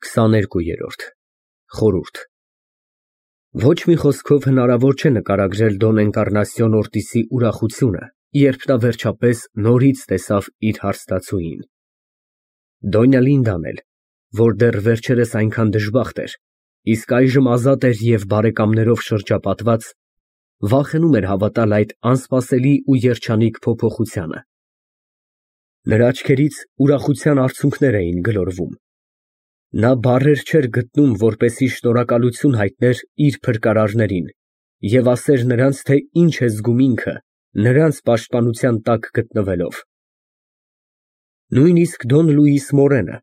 22-րդ խորհուրդ Ոչ մի խոսքով հնարավոր չէ նկարագրել Դոն Էնկառնասիոն Օրտիսի ուրախությունը, երբ նա վերջապես նորից տեսավ իր հարստացուին։ Դոնյա Լինդան էլ, որ դեռ վերջերս այնքան դժբախտ էր, իսկ այժմ ազատ էր և բարեկամներով շրջապատված, վախենում էր հավատալ այդ անսպասելի ու երջանիկ փոփոխությանը։ Նրա աչքերից ուրախության արցունքներ էին գլորվում։ Նա բառեր չէր գտնում, որպեսզի շնորհակալություն հայտներ իր փրկարարներին և ասեր նրանց, թե ինչ է զգում ինքը, նրանց պաշտպանության տակ գտնվելով։ Նույնիսկ Դոն Լուիս Մորենը,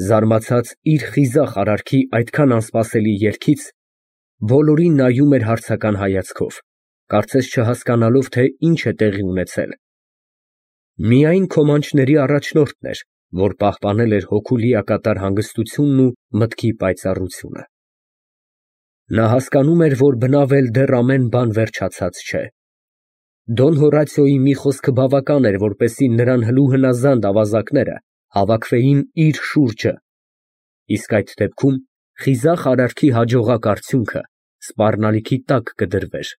զարմացած իր խիզախ արարքի այդքան անսպասելի երգից, բոլորին նայում էր հարցական հայացքով, կարծես չհասկանալով, թե ինչ է տեղի ունեցել։ Միայն քոմանչների առաջնորդն էր, որ պահպանել էր հոգու լիակատար հանգստությունն ու մտքի պայծառությունը։ Նա հասկանում էր, որ բնավ էլ դեռ ամեն բան վերջացած չէ։ Դոն Հորացիոյի մի խոսքը բավական էր, որպեսզի նրան հլու հնազանդ ավազակները հավաքվեին իր շուրջը, իսկ այդ դեպքում խիզախ արարքի հաջողակ արդյունքը սպառնալիքի տակ կդրվեր։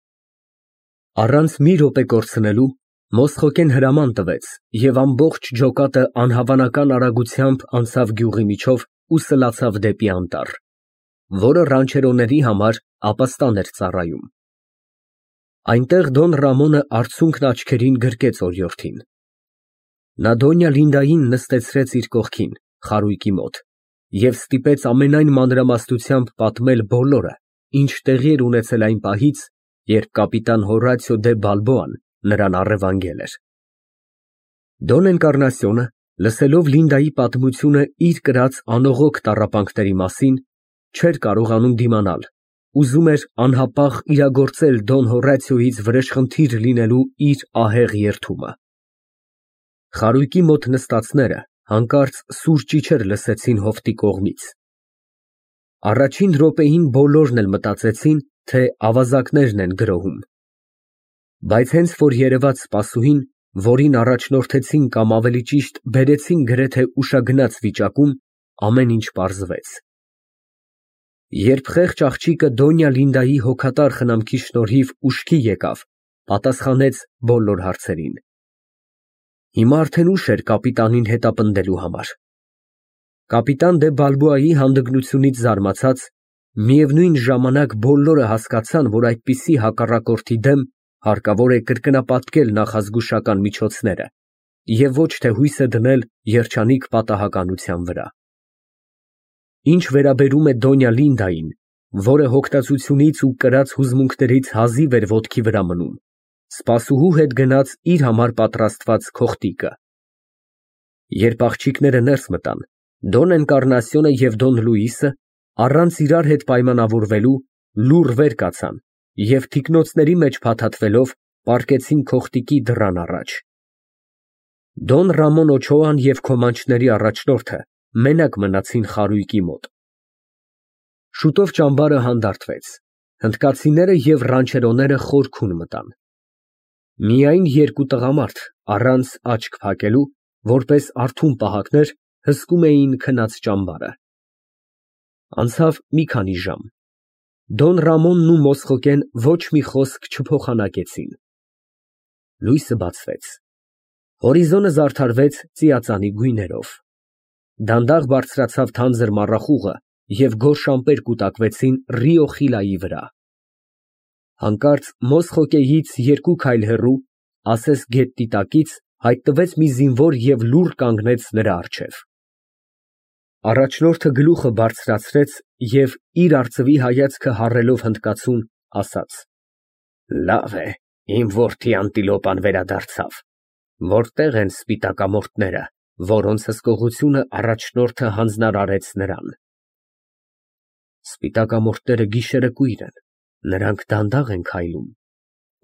Առանց մի րոպե կորցնելու Մոսխոկեն հրաման տվեց և ամբողջ ջոկատը անհավանական արագությամբ անցավ գյուղի միջով ու սլացավ դեպի անտառ, որը ռանչերոների համար ապաստան էր ծառայում։ Այնտեղ Դոն Ռամոնը արցունքն աչքերին գրկեց օրիորդին։ Նա Դոնյա Լինդային նստեցրեց իր կողքին, խարույկի մոտ, և ստիպեց ամենայն մանրամասնությամբ պատմել բոլորը, ինչ տեղի էր ունեցել այն պահից, երբ կապիտան Հորացիո դե Բալբոան նրան առևանգել էր։ Դոն Էնկառնասիոնը, լսելով Լինդայի պատմությունը իր կրած անողոք տառապանքների մասին, չէր կարողանում դիմանալ, ուզում էր անհապաղ իրագործել Դոն Հորացիոյից վրեժխնդիր լինելու իր ահեղ երդումը։ Խարույկի մոտ նստածները հանկարծ սուր ճիչեր լսեցին հովտի կողմից։ Առաջին րոպեին բոլորն էլ մտածեցին, թե ավազակներն են գրոհում։ Բայց հենց որ երևաց սպասուհին, որին առաջնորդեցին կամ ավելի ճիշտ բերեցին գրեթե ուշագնաց վիճակում, ամեն ինչ պարզվեց։ Երբ խեղճ աղջիկը Դոնյա Լինդայի հոգատար խնամքի շնորհիվ ուշքի եկավ, պատասխանեց բոլոր հարցերին։ Հիմա արդեն ուշ էր կապիտանին հետապնդելու համար։ Կապիտան դե Բալբոայի հանդգնությունից զարմացած, միևնույն ժամանակ բոլորը հասկացան, որ այդպիսի հակառակորդի դեմ հարկավոր է կրկնապատկել նախազգուշական միջոցները և ոչ թե հույսը դնել երջանիկ պատահականության վրա։ Ինչ վերաբերում է Դոնյա Լինդային, որը հոգտածությունից ու կրած հուզմունքներից հազիվ էր ոտքի վրա մնում, սպասուհու հետ գնաց իր համար պատրաստված քոխտիկը։ Երբ աղջիկները ներս մտան, Դոն Էնկառնասիոնը և Դոն Լուիսը, առանց իրար հետ պայմանավորվելու, լուռ վեր կացան և թիկնոցների մեջ փաթաթվելով պառկեցին քոխտիկի դռան առաջ։ Դոն Ռամոն Օչոան և քոմանչների առաջնորդը մենակ մնացին խարույկի մոտ։ Շուտով ճամբարը հանդարտվեց, հնդկացիները և ռանչերոները խորքուն մտան։ Միայն երկու տղամարդ, առանց աչք փակելու, որպես արթուն պահակներ, հսկում էին քնած ճամբարը։ Անցավ մի քանի ժամ։ Դոն Ռամոնն ու Մոսխոկեն ոչ մի խոսք չփոխանակեցին։ Լույսը բացվեց։ Հորիզոնը զարդարվեց ծիածանի գույներով։ Դանդաղ բարձրացավ թանձր մառախուղը և գորշ ամպեր կուտակվեցին Ռիո Խիլայի վրա։ Հանկարծ Մոսխոկեից երկու քայլ հեռու, ասես գետնի տակից, հայտնվեց մի զինվոր և լուռ կանգնեց նրա առջև։ Առաջնորդը գլուխը բարձրացրեց և, իր արծվի հայացքը հառելով հնդկացուն, ասաց. Լավ է, իմ որդի Անտիլոպան վերադարձավ։ Որտե՞ղ են սպիտակամորթները, որոնց հսկողությունը առաջնորդը հանձնարարեց նրան։ Սպիտակամորթները գիշերը կույր են, նրանք դանդաղ են քայլում,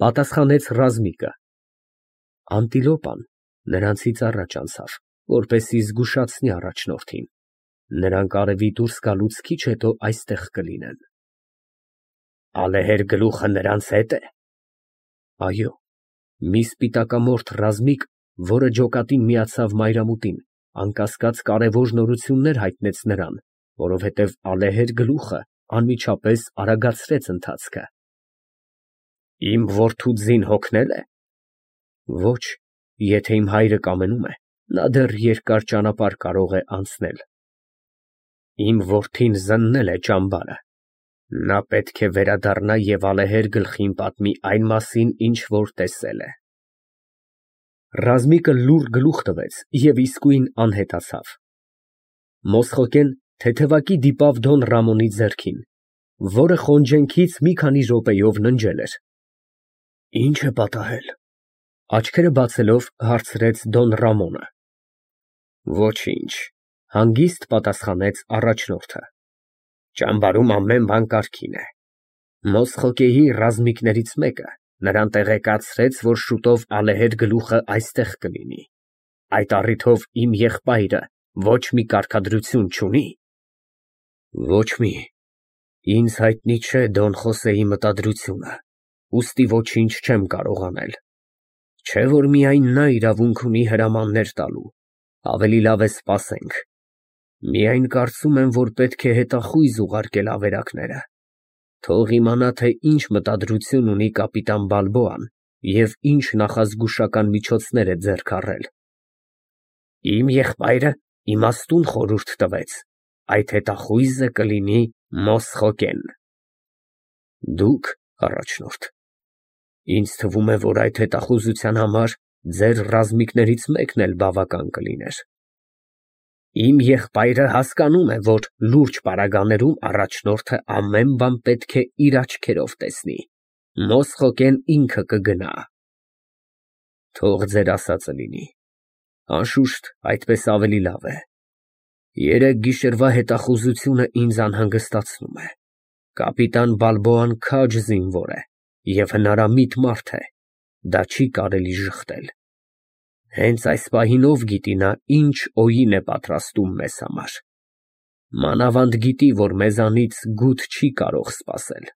պատասխանեց ռազմիկը։ Անտիլոպան նրանցից առաջ անցավ, որպեսզի զգուշացնի առաջնորդին։ Նրանք արևի դուրս գալուց քիչ հետո այստեղ կլինեն։ Ալեհեր գլուխը նրանց հետ է։ Այո, մի սպիտակամորթ ռազմիկ, որը ջոկատին միացավ մայրամուտին, անկասկած կարևոր նորություններ հայտնեց նրան, որովհետև ալեհեր գլուխը անմիջապես արագացրեց ընթացքը։ Իմ որդու ձին հոգնե՞լ է։ Ոչ, եթե իմ հայրը կամենում է, նա դեռ երկար ճանապարհ կարող է անցնել։ Իմ որդին զննել է ճամբարը։ Նա պետք է վերադառնա և ալեհեր գլխին պատմի այն մասին, ինչ որ տեսել է։ Ռազմիկը լուռ գլուխ տվեց և իսկույն անհետացավ։ Մոսխոկեն թեթևակի դիպավ Դոն Ռամոնի ձեռքին, որը խոնջենքից մի քանի րոպեով ննջել էր։ Ի՞նչ է պատահել, աչքերը բացելով հարցրեց Դոն Ռամոնը։ Ոչինչ, հանգիստ պատասխանեց առաջնորդը։ Ճամբարում ամեն բան կարգին է։ Մոսխոկեի ռազմիկներից մեկը նրան տեղեկացրեց, որ շուտով ալեհեր գլուխը այստեղ կլինի։ Այդ առիթով իմ եղբայրը ոչ մի կարգադրություն չունի։ Ոչ մի։ Ինձ հայտնի չէ Դոն Խոսեի մտադրությունը, ուստի ոչինչ չեմ կարող անել։ Չէ որ միայն նա իրավունք ունի հրամաններ տալու, ավելի լավ է սպասենք։ Միայն կարծում եմ, որ պետք է հետախույզ ուղարկել ավերակները։ Թող իմանա, թե ինչ մտադրություն ունի կապիտան Բալբոան և ինչ նախազգուշական միջոցներ է ձեռք առել։ Իմ եղբայրը իմաստուն խորհուրդ տվեց, այդ հետախույզը կլինի Մոսխոկեն։ Դուք, առաջնորդ, ինձ թվում է, որ այդ հետախուզության համար ձեր ռազմիկներից մեկն էլ բավական կլիներ։ Իմ եղբայրը հասկանում է, որ լուրջ պարագաներում առաջնորդը ամեն բան պետք է իր աչքերով տեսնի։ Մոսխոկեն ինքը կգնա։ Թող ձեր ասածը լինի։ Անշուշտ, այդպես ավելի լավ է։ Երեկ գիշերվա հետախուզությունը ինձ անհանգստացնում է։ Կապիտան Բալբոան քաջ զինվոր է և հնարամիտ մարդ է։ Դա չի կարելի ժխտել։ Հենց այս պահին ով գիտի նա ինչ օին է պատրաստում մեզ համար։ Մանավանդ գիտի, որ մեզանից գութ չի կարող սպասել։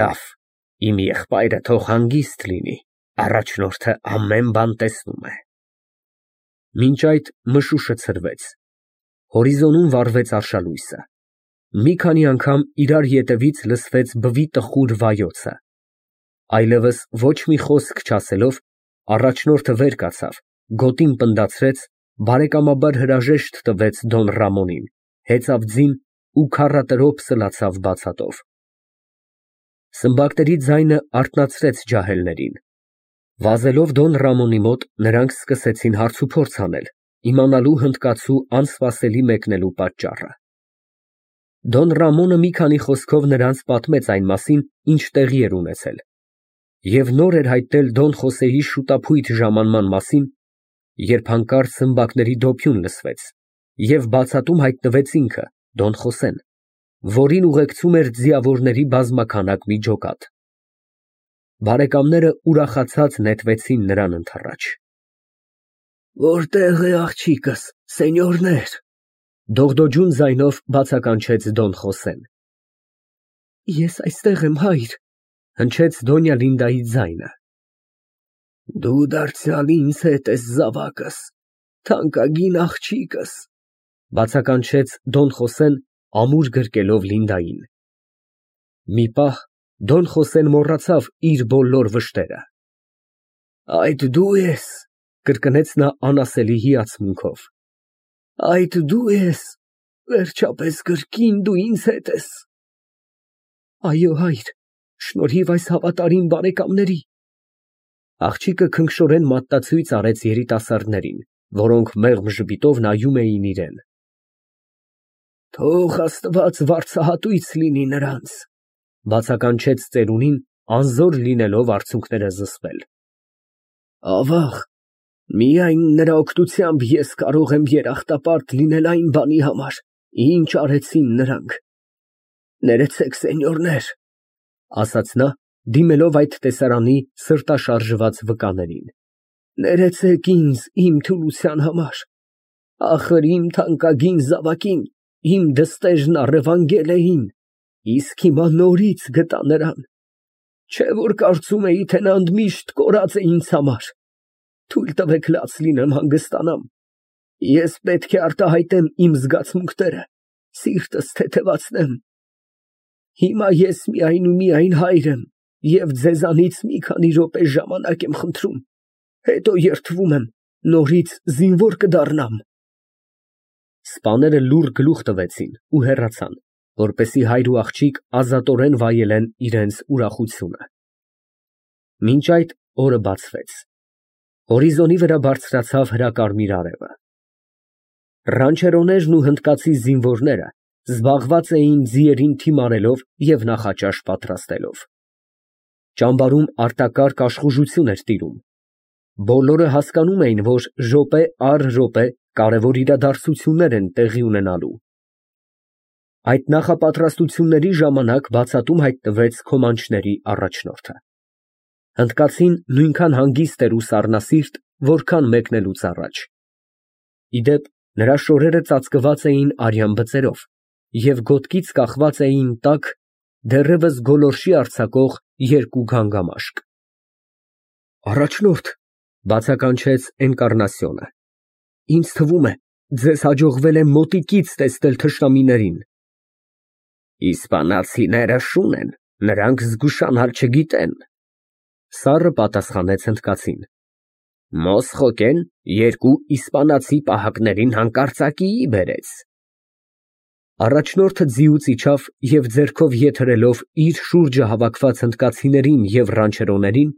Լավ, իմ եղբայրը թող հանգիստ լինի, առաջնորդը ամեն բան տեսնում է։ Մինչ այդ մշուշը ցրվեց։ Հորիզոնում վառվեց արշալույսը։ Մի քանի անգամ իրար ետևից լսվեց բվի տխուր վայոցը։ Այլևս ոչ մի խոսք չասելով, առաջնորդը վեր կացավ, գոտին պնդացրեց, բարեկամաբար հրաժեշտ տվեց Դոն Ռամոնին, հեծավ ձին ու քառատրոփ սլացավ բացատով։ Սմբակների ձայնը արթնացրեց ջահելներին։ Վազելով Դոն Ռամոնի մոտ, նրանք սկսեցին հարցուփորձ անել, իմանալու հնդկացու անսպասելի մեկնելու պատճառը։ Դոն Ռամոնը մի քանի խոսքով նրանց պատմեց այն մասին, ինչ տեղի էր ունեցել, և նոր էր հայտնել Դոն Խոսեի շուտափույթ ժամանման մասին, երբ հանկարծ սմբակների դոփյուն լսվեց, և բացատում հայտնվեց ինքը, Դոն Խոսեն, որին ուղեկցում էր ձիավորների բազմաքանակ մի ջոկատ։ Բարեկամները ուրախացած նետվեցին նրան ընդառաջ։ Որտե՞ղ է աղջիկս, սենյորներ, դողդոջուն ձայնով բացականչեց Դոն Խոսեն։ Ես այստեղ եմ, հայր, հնչեց Դոնյա Լինդայի ձայնը։ Դու դարձյալ ինձ հետ ես զավակս, թանկագին աղջիկս, բացականչեց Դոն Խոսեն ամուր գրկելով Լինդային։ Մի պահ Դոն Խոսեն մոռացավ իր բոլոր վշտերը։ Այդ դու ես, կրկնեց նա անասելի հիացմունքով։ Այդ դու ես, վերջապես կրկին դու ինձ հետ ես։ Այո, հայր, շնորհիվ այս հավատարիմ բարեկամների։ Աղջիկը քնքշորեն մատնացույց արեց երիտասարդներին, որոնք մեղմ ժպիտով նայում էին իրեն։ Թող Աստված վարձահատույց լինի նրանց, բացականչեց ծերունին, անզոր լինելով արցունքները զսպել։ Ավաղ, միայն նրա օգնությամբ ես կարող եմ երախտապարտ լինել այն բանի համար, ինչ արեցին նրանք։ Ներեցեք, սենյորներ, ասաց նա, դիմելով այդ տեսարանի սրտաշարժված վկաներին։ Ներեցեք ինձ իմ թուլության համար։ Ախր իմ թանկագին զավակին, իմ դստեժն առևանգել էին, իսկ հիմա նորից գտա նրան։ Չէ որ կարծում էի, թե նա ընդմիշտ կորած է ինձ համար։ Թույլ տվեք լաց լինեմ հանգստանամ։ Ես պետք է արտահայտեմ իմ զգացմունքները, սիրտս թեթևացնեմ։ Հիմա ես միայն ու միայն հայր եմ և ձեզանից մի քանի րոպե ժամանակ եմ խնդրում, հետո երդվում եմ, նորից զինվոր կդառնամ։ Սպաները լուռ գլուխ տվեցին ու հեռացան, որպեսզի հայր ու աղջիկ ազատորեն վայելեն իրենց ուրախությունը։ Մինչ այդ օրը բացվեց։ Հորիզոնի վրա բարձրացավ հրակարմիր արևը։ Ռանչերոներն ու հնդկացի զինվորները զբաղված էին ձիերին թիմարելով և նախաճաշ պատրաստելով։ Ճամբարում արտակարգ աշխուժություն էր տիրում։ Բոլորը հասկանում էին, որ րոպե առ րոպե կարևոր իրադարձություններ են տեղի ունենալու։ Այդ նախապատրաստությունների ժամանակ բացատում հայտնվեց քոմանչների առաջնորդը։ Հնդկացին նույնքան հանգիստ էր ու սառնասիրտ, որքան մեկնելուց առաջ։ Ի դեպ, նրա շորերը ծածկված էին արյան բծերով և ոտքից կախված էին տաք, դեռևս գոլորշի արձակող երկու գանգամաշկ։ Առաջնորդ, Բացականչեց Էնկառնասիոնը, ինձ թվում է, ձեզ հաջողվել է մոտիկից տեսնել թշնամիներին։ Իսպանացիները շուն են, նրանք զգուշանալ չգիտեն, սառը պատասխանեց հնդկացին։ Մոսխոկեն երկու իսպանացի պահակներին հանկարծակիի բերեց։ Առաջնորդը ձիուց իջավ և ձեռքով ետ հրելով իր շուրջը հավաքված հնդկացիներին և ռանչերոներին,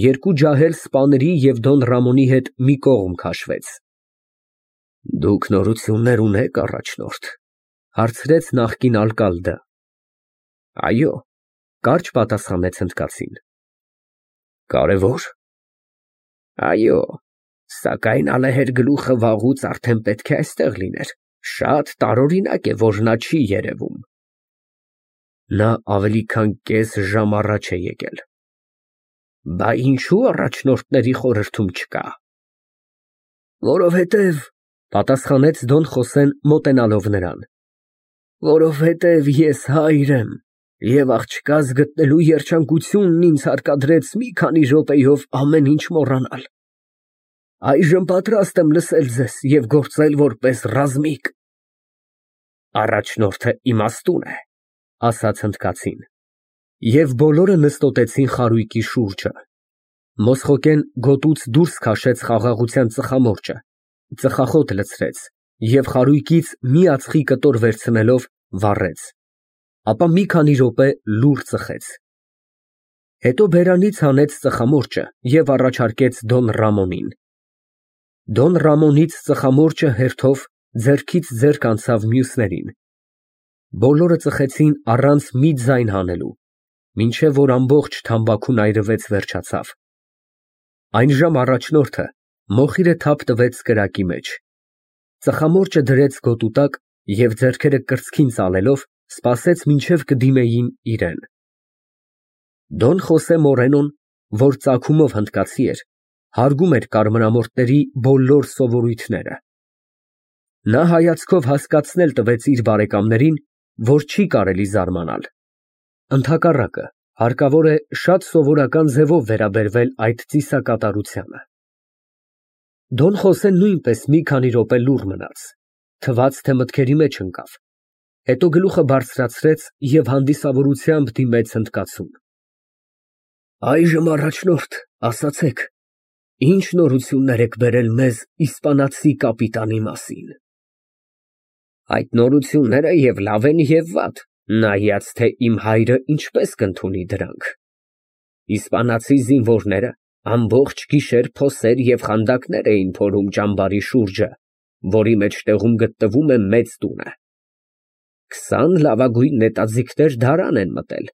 երկու ջահել սպաների և Դոն Ռամոնի հետ մի կողմ քաշվեց։ Դուք նորություններ ունե՞ք, առաջնորդ, հարցրեց նախկին ալկալդը։ Այո, կարճ պատասխանեց հնդկացին։ Կարևո՞ր։ Այո, սակայն ալեհեր գլուխը վաղուց արդեն պետք է այստեղ լիներ, շատ տարօրինակ է, որ նա չի երևում։ Նա ավելի քան կես ժամ առաջ է եկել։ Բա ինչու առաջնորդների խորհրդում չկա։ Որովհետև, պատասխանեց Դոն Խոսեն մոտենալով նրան, որովհետև ես հայր եմ, և աղջկաս գտնելու երջանկությունն ինձ հարկադրեց մի քանի րոպեով ամեն ինչ մոռանալ։ Այժմ պատրաստ եմ լսել ձեզ և գործել որպես ռազմիկ։ Առաջնորդը իմաստուն է, ասաց հնդկացին։ Եվ բոլորը նստոտեցին խարույկի շուրջը։ Մոսխոկեն գոտուց դուրս քաշեց խաղաղության ծխամորճը, ծխախոտ լցրեց և խարույկից մի ածխի կտոր վերցնելով վառեց, ապա մի քանի րոպե լուռ ծխեց։ Հետո բերանից հանեց ծխամորճը և առաջարկեց Դոն Ռամոնին։ Դոն Ռամոնից ծխամորճը հերթով ձեռքից ձեռք անցավ մյուսներին։ Բոլորը ծխեցին առանց մի ձայն հանելու, մինչև որ ամբողջ թամբաքուն այրվեց վերջացավ։ Այնժամ առաջնորդը մոխիրը թափ տվեց կրակի մեջ, ծխամորճը դրեց գոտու տակ և ձեռքերը կրծքին ծալելով սպասեց, մինչև կդիմեին իրան։ Դոն Խոսե Մորենոն, որ ծագումով հնդկացի էր, հարգում էր կարմրամորթների բոլոր սովորույթները։ Նա հայացքով հասկացնել տվեց իր բարեկամներին, որ չի կարելի զարմանալ։ Ընդհակառակը, հարկավոր է շատ սովորական ձևով վերաբերվել այդ ծիսակատարությանը։ Դոն Խոսեն նույնպես մի քանի րոպե լուռ մնաց, թվաց, թե մտքերի մեջ ընկավ, հետո գլուխը բարձրացրեց և հանդիսավորությամբ դիմեց հնդկացուն։ Այժմ, առաջնորդ, ասացեք, ինչ նորություններ եք բերել մեզ իսպանացի կապիտանի մասին։ Այդ նորությունները և լավ են, և վատ, նայած թե իմ հայրը ինչպես կընդունի դրանք։ Իսպանացի զինվորները ամբողջ գիշեր փոսեր և խանդակներ էին փորում ճամբարի շուրջը, որի մեջտեղում գտնվում է մեծ տունը։ 20 լավագույն նետաձիգներ դարան են մտել,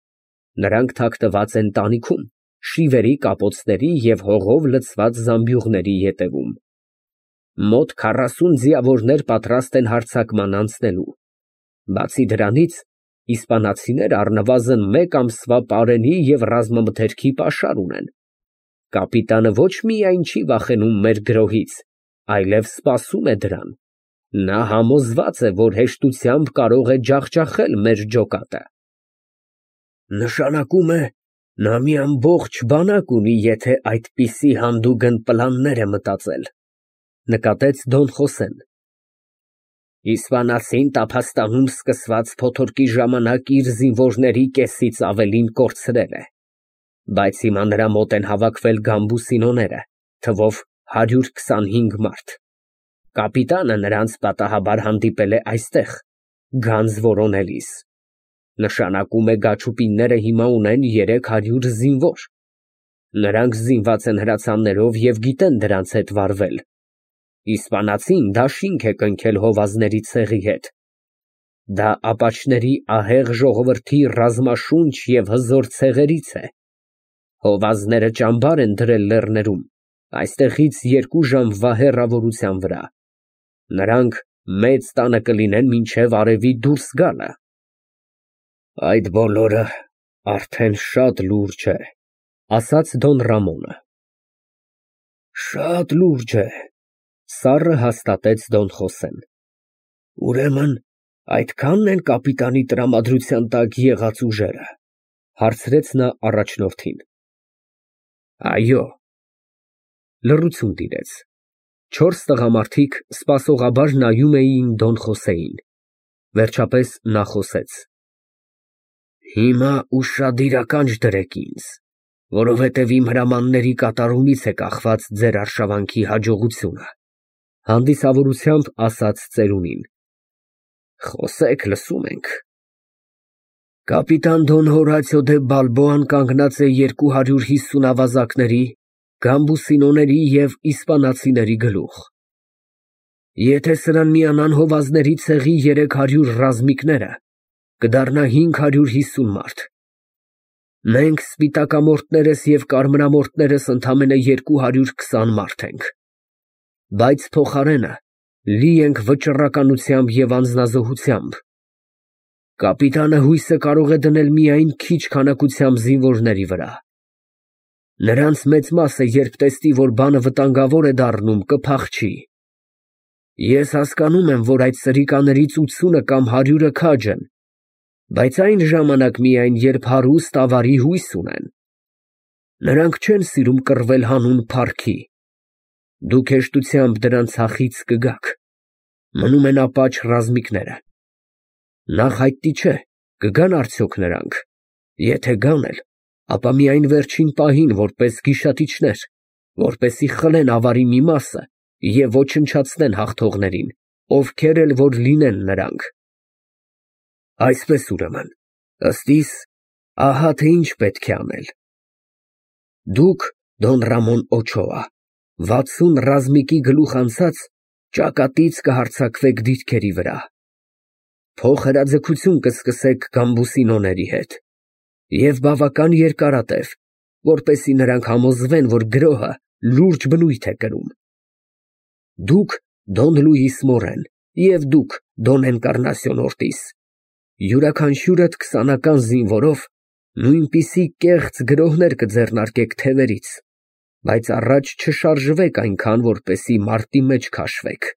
նրանք թաքնված են տանիքում, շիվերի, կապոցների և հողով լցված զամբյուղների ետևում։ Մոտ 40 ձիավորներ պատրաստ են հարձակման անցնելու։ Բացի դրանից, իսպանացիները առնվազն մեկ ամսվա պարենի և ռազմամթերքի պաշար ունեն։ Կապիտանը ոչ միայն չի վախենում մեր գրոհից, այլև սպասում է դրան։ Նա համոզված է, որ հեշտությամբ կարող է ջախջախել մեր ջոկատը։ Նշանակում է, նա մի ամբողջ բանակ ունի, եթե այդպիսի հանդուգն պլաններ է մտածել, նկատեց Դոն Խոսեն։ Իսպանացին տափաստանում սկսված փոթորկի ժամանակ իր զինվորների կեսից ավելին կորցրել է, բայց հիմա նրա մոտ են հավաքվել գամբուսինոները, թվով 125 մարդ։ Կապիտանը նրանց պատահաբար հանդիպել է այստեղ, գանձ որոնելիս։ Նշանակում է գաչուպինները հիմա ունեն 300 զինվոր։ Նրանք զինված են հրացաններով և գիտեն դրանց հետ վարվել։ Իսպանացին դաշինք է կնքել հովազների ցեղի հետ։ Դա ապաչների ահեղ ժողովրդի ռազմաշունչ և հզոր ցեղերից է։ Հովազները ճամբար են դրել լեռներում, այստեղից 2 ժամվա հեռավորության վրա։ Նրանք մեծ տանը կլինեն մինչև արևի դուրս գալը։ Այդ բոլորը արդեն շատ լուրջ է, ասաց Դոն Ռամոնը։ Շատ լուրջ է, սառը հաստատեց Դոն Խոսեն։ Ուրեմն այդքանն են կապիտանի տրամադրության տակ եղած ուժերը, հարցրեց նա առաջնորդին։ Այո։ Լռություն տիրեց։ 4 տղամարդիկ սպասողաբար նայում էին Դոն Խոսեին։ Վերջապես նա խոսեց. Հիմա ուշադիր ականջ դրեք ինձ, որովհետև իմ հրամանների կատարումից է կախված ձեր արշավանքի հաջողությունը, հանդիսավորությամբ ասաց ծերունին։ Խոսեք, լսում ենք։ Կապիտան Դոն Հորացիո դե Բալբոան կանգնած է 250 ավազակների, գամբուսինոների և իսպանացիների գլուխ։ Եթե սրան միանան հովազների ցեղի 300 ռազմիկները, կդառնա 550 մարդ։ Մենք սպիտակամորտներս և կարմրամորտներս ընդամենը 220 մարդ ենք։ Բայց փոխարենը լի ենք վճռականությամբ և անձնազոհությամբ։ Կապիտանը հույսը կարող է դնել միայն քիչ քանակությամբ զինվորների վրա։ Նրանց մեծ մասը, երբ տեսնի, որ բանը վտանգավոր է դառնում, կփախչի։ Ես հասկանում եմ, որ այդ սրիկաներից 80-ը կամ 100-ը քաջ են, բայց այն ժամանակ միայն, երբ հարուստ ավարի հույս ունեն։ Նրանք չեն սիրում կռվել հանուն փառքի։ Դուք հեշտությամբ դրանց հախից կգաք։ Մնում են ապաչ ռազմիկները։ Նախ հայտնի չէ, կգան արդյոք նրանք։ Եթե գան էլ, ապա միայն վերջին պահին որպես գիշատիչներ, որպեսզի խլեն ավարի մի մասը և ոչնչացնեն հաղթողներին, ովքեր էլ որ լինեն նրանք։ Այսպես ուրեմն, ըստ իս, ահա թե ինչ պետք է անել։ Դուք, Դոն Ռամոն Օչոա, 60 ռազմիկի գլուխ անցած ճակատից կհարձակվեք դիրքերի վրա։ Փոխհրաձգություն կսկսեք գամբուսինոների հետ և բավական երկարատև, որպեսզի նրանք համոզվեն, որ գրոհը լուրջ բնույթ է կրում։ Դուք, Դոն Լուիս Մորեն, և դուք, Դոն Էնկարնասիոն Օրտիս, յուրաքանչյուրդ 20-ական զինվորով նույնպիսի կեղծ գրոհներ կձեռնարկեք թևերից, բայց առաջ չշարժվեք այնքան, որպեսզի մարտի մեջ քաշվեք։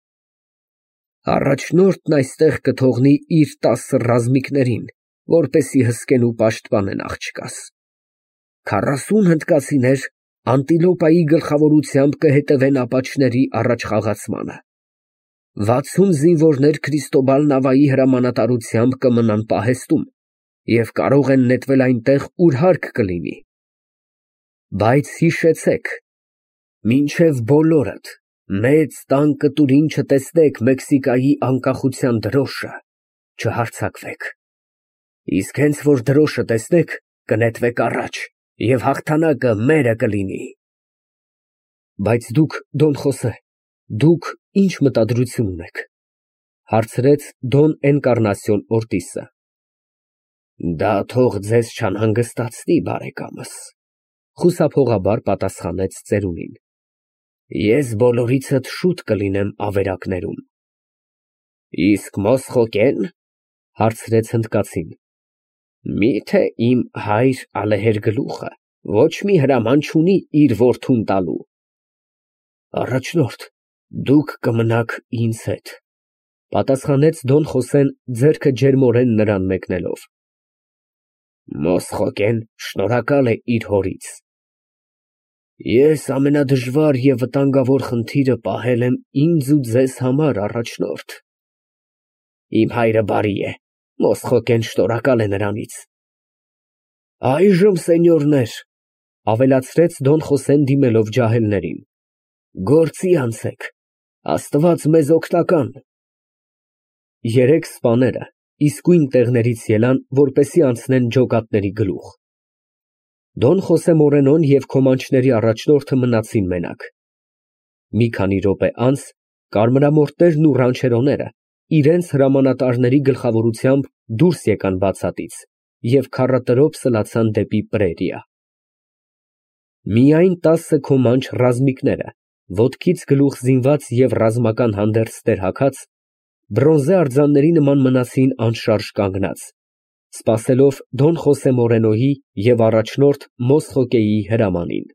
Առաջնորդն այստեղ կթողնի իր 10 ռազմիկներին, որպեսզի հսկեն ու պաշտպանեն աղջկաս։ 40 հնդկացիներ Անտիլոպայի գլխավորությամբ կհետևեն ապաչների առաջխաղացմանը։ 60 զինվորներ Քրիստոբալ Նավայի հրամանատարությամբ կմնան պահեստում և կարող են նետվել այնտեղ, ուր հարկ կլինի։ Բայց հիշեցեք, մինչև բոլորդ մեծ տան կտուրին չտեսնեք Մեքսիկայի անկախության դրոշը, չհարձակվեք։ Իսկ հենց որ դրոշը տեսնեք, կնետվեք առաջ, և հաղթանակը մերը կլինի։ Բայց դուք, Դոն Խոսե, դուք ինչ մտադրություն ունեք, հարցրեց Դոն Էնկարնասիոն Օրտիսը։ Դա թող ձեզ չանհանգստացնի, բարեկամս, խուսափողաբար պատասխանեց ծերունին։ Ես բոլորիցդ շուտ կլինեմ ավերակներում։ Իսկ Մոսխոկեն, հարցրեց հնդկացին։ Միթե իմ հայր ալեհեր֊գլուխը ոչ մի հրաման չունի իր որդուն տալու։ Առաջնորդ, դուք կմնաք ինձ հետ, պատասխանեց Դոն Խոսեն ձեռքը ջերմորեն նրան մեկնելով։ Մոսխոկեն շնորհակալ է իր հորից։ Ես ամենադժվար և վտանգավոր խնդիրը պահել եմ ինձ ու ձեզ համար, առաջնորդ։ Իմ հայրը բարի է, Մոսխոկեն շնորհակալ է նրանից։ Այժմ, սենյորներ, ավելացրեց Դոն Խոսեն դիմելով ջահելներին, գործի անցեք, Աստված մեզ օգնական։ Երեք սպաները իսկույն տեղներից ելան, որպեսզի անցնեն ջոկատների գլուխ։ Դոն Խոսե Մորենոն և քոմանչների առաջնորդը մնացին մենակ։ Մի քանի րոպե անց կարմրամորտերն ու ռանչերոները իրենց հրամանատարների գլխավորությամբ դուրս եկան բացատից և քառատրոփ սլացան դեպի Պրերիա։ Միայն 10 քոմանչ ռազմիկները, ոտքից գլուխ զինված և ռազմական հանդերձ տերհաքած, բրոնզե արձանների նման մնացին անշարժ կանգնած, սպասելով Դոն Խոսե Մորենոյի և առաջնորդ Մոսխոկեի հրամանին։